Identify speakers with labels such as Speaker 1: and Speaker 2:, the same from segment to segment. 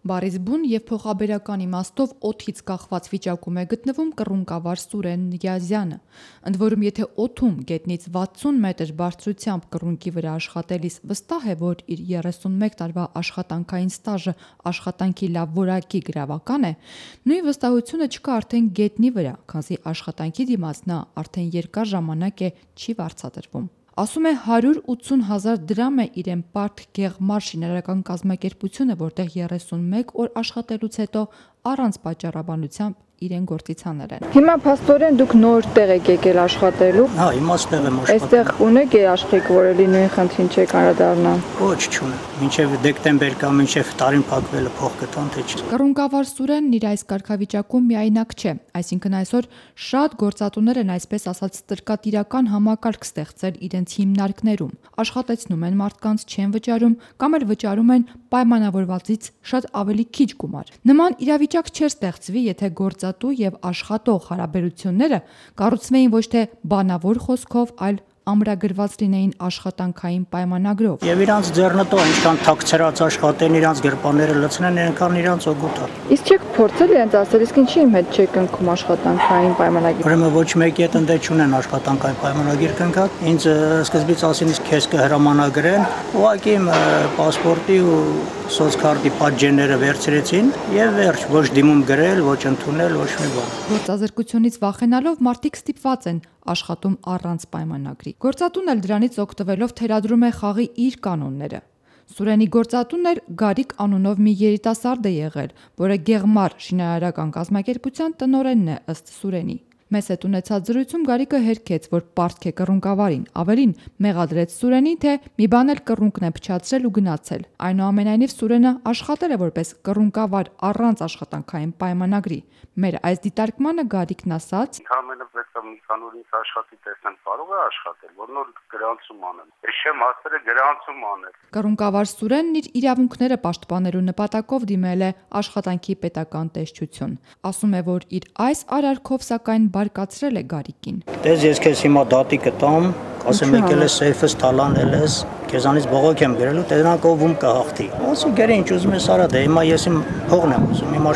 Speaker 1: Բառից բուն և փոխաբերական իմաստով օդից կախված վիճակում է գտնվում կռունկավար Սուրեն Նիազյանը։ Ընդ որում, եթե օդում գետնից 60 մետր բարձրությամբ կռունկի վրա աշխատելիս վստահ է, որ իր 31 տարվա աշխատանքային ստաժը աշխատանքի լավ որակի գրավական է, նույն վստահությունը չկա արդեն գետնի վրա, քանզի աշխատանքի դիմաց նա արդեն երկար ժամանակ է չի վարձատրվում։ Ասում է 180,000 դրամ է իրեն Պարթ Գեղմար շինարարական կազմակերպությունը, որտեղ 31 օր աշխատելուց հետո առանց պատճառաբանությամբ իրեն գործից հանել են։
Speaker 2: Հիմա փաստորեն դուք նոր տեղ եք եկել աշխատելու։
Speaker 3: Հա, հիմա ստեղ եմ աշխատում։
Speaker 2: Այստեղ ունեք երաշխիք, որ էլի նույն խնդրին չեք անդրադառնալ։
Speaker 3: Ոչ, չունեմ։ Մինչև դեկտեմբեր կամ մինչև տարին փակվելը փող կտան, թե չէ։
Speaker 1: Կռունկավար Սուրենն իր այս կարգավիճակում միայնակ չէ, այսինքն այսօր շատ գործատուներ են այսպես ասած տրկատիրական համակարգ ստեղծել իրենց հիմնարկներում, աշխատեցնում են մարդկանց, չեն վճարում կամ էլ վճարում են պայմանավորվածից շատ ավելի քիչ գումար։ Նման իրավիճակ չէր ստեղծվի, եթե գործատու եւ աշխատող հարաբերությունները կառուցվեին ոչ թե բանավոր խոսքով, այլ ամրագրված լինեին աշխատանքային պայմանագրով։
Speaker 3: Եվ իրանց ձեռնտո ինչքան թաքցրած աշխատեն, իրանց գրպանները լցնեն, այնքան իրանց օգուտ է։
Speaker 2: Իսկ չեք փորձել իրենց ասել, իսկ ինչի իմ հետ չեք ընկնում աշխատանքային պայմանագիր։
Speaker 3: Ուրեմն ոչ մեկի հետ ընդե չունեն աշխատանքային պայմանագիր կնքած։ Ինձ սկզբից ասին, իսկ քեզ կհրամանագրեն, ուղղակի իմ պասպորտի ու սոցկարտի պատժենները վերցրեցին եւ վերջ, ոչ դիմում գրել, ոչ ընդունել, ոչ մի բան։
Speaker 1: Գործազրկությունից վախենալով մարդիկ ստիպված են աշխատում առանց պայմանագրի։ Գործատուն էլ դրանից օգտվելով թերադրում է խաղի իր կանոնները։ Սուրենի գործատուն էլ Գարիկ անունով մի երիտասարդ է եղել, որը Գեղմար շինարարական կազմակերպության տնօրենն է ըստ Սուրենի։ Մեզ հետ ունեցած զրույցում Գարիկը հերքեց, որ պարտք է կռունկավարին, ավելին մեղադրեց Սուրենին, թե մի բան էլ կռունկն է փչացրել ու գնացել։ Այնուամենայնիվ Սուրենը աշխատել է որպես կռունկավար առանց աշխատանքային պայմանագրի։ Մեր այս դիտարկմանը Գարիկն ասաց.
Speaker 4: Ընդհանրապես մի քանի օր ինձ աշխատի տեսնեմ, կարող է աշխատել, որ նոր գրանցում անեմ։ Ես չեմ հասել գրանցում անել։
Speaker 1: Կռունկավար Սուրենն իր իրավունքները պաշտպանելու նպատակով դիմել է աշխատանքի պետական տեսչություն։ Ասում է, որ իր այս արարքով սակայն բարկացրել է Գարիկին։
Speaker 3: Դες ես քեզ հիմա դատի կտամ, ասեմ եկել ես սեյֆս թալանել ես, քեզանից բողոք եմ գրելու, թե նրանք ով կհաղթի։ Ասում գերի ինչ ուզում ես արա, դե հիմա ես իմ փողն եմ ուզում, իմ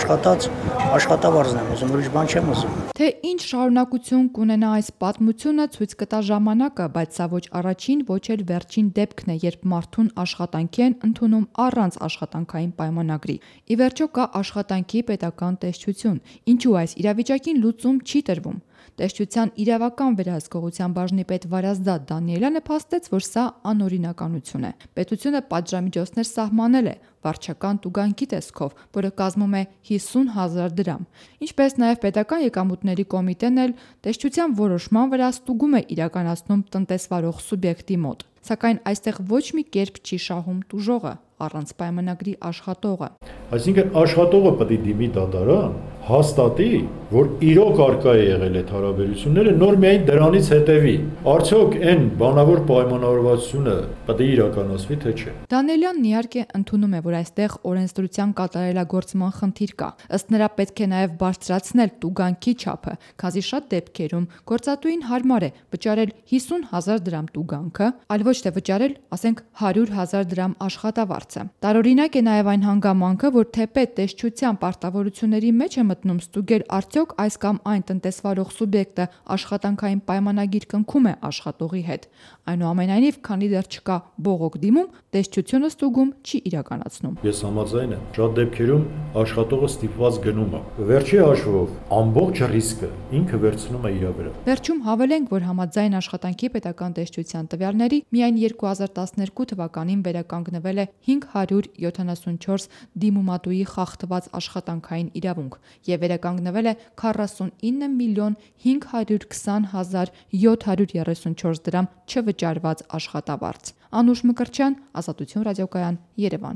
Speaker 3: աշխատավարձն եմ ուզում, ուրիշ բան չեմ ուզում։
Speaker 1: Թե ինչ շարունակություն կունենա այս պատմությունը ցույց կտա ժամանակը, բայց սա ոչ առաջին, ոչ էլ վերջին դեպքն է, երբ մարդուն աշխատանքի են ընդունում առանց աշխատանքային պայմանագրի։ Ի վերջո կա աշխատանքի պետական տեսչություն, ինչու այս իրավիճակին լուծում չի տրվում։ Տեսչության իրավական վերահսկողության բաժնի պետ Վարազդատ Դանիելյանը փաստեց, որ սա անօրինականություն է։ Պետությունը պատժամիջոցներ սահմանել է վարչական տուգանքի տեսքով, որը կազմում է 50,000 դրամ։ Ինչպես նաև պետական եկամուտների կոմիտեն էլ տեսչության որոշման վրա ստուգում է իրականացնում տնտեսվարող սուբյեկտի մոտ։ Սակայն այստեղ ոչ մի կերպ չի շահում տուժողը, առանց պայմանագրի աշխատողը։
Speaker 5: Այսինքն աշխատողը պետք է դիմի դատարան, հաստատի, որ իրոք արկա է եղել այդ հարաբերությունները, նոր միայն դրանից հետևի։ Արդյոք այն բանավոր պայմանավորվածությունը պետք է իրականացվի, թե չէ։
Speaker 1: Դանիելյանն իհարկե ընդունում է, որ այստեղ օրենսդրության կատարելագործման խնդիր կա։ Ըստ նրա պետք է նաև բարձրացնել տուգանքի չափը, քանզի շատ դեպքերում գործատուին հարմար է վճարել 50,000 դրամ տուգանքը, այլ ոչ թե վճարել, ասենք 100,000 դրամ աշխատավարձը։ Տարօրինակ է նաև այն հանգամանքը, որ թեպետ տեսչության պարտավորությունների մեջ է մտնում ստուգել արդյոք այս կամ այն տնտեսվարող սուբյեկտը աշխատանքային պայմանագիր կնքում է աշխատողի հետ։ Այնուամենայնիվ, քանի դեռ չկա բողոք դիմում, տեսչությունը ստուգում չի իրականացնում։
Speaker 5: Ես համաձայն եմ, շատ դեպքերում աշխատողը ստիպված գնում է։ Վերջի հաշվով ամբողջ ռիսկը ինքը վերցնում է իր վրա։
Speaker 1: Վերջում հավելենք, որ համաձայն աշխատանքի պետական տեսչության տվյալների միայն 2012 թվականին վերականգնվել է 574 դիմումատուի խախտված աշխատանքային իրավունք եւ վերականգնվել է 49 միլիոն 520 հազար 734 դրամ չվճարված աշխատավարձ։ Անուշ Մկրտչյան, Ազատություն ռադիոկայան, Երևան։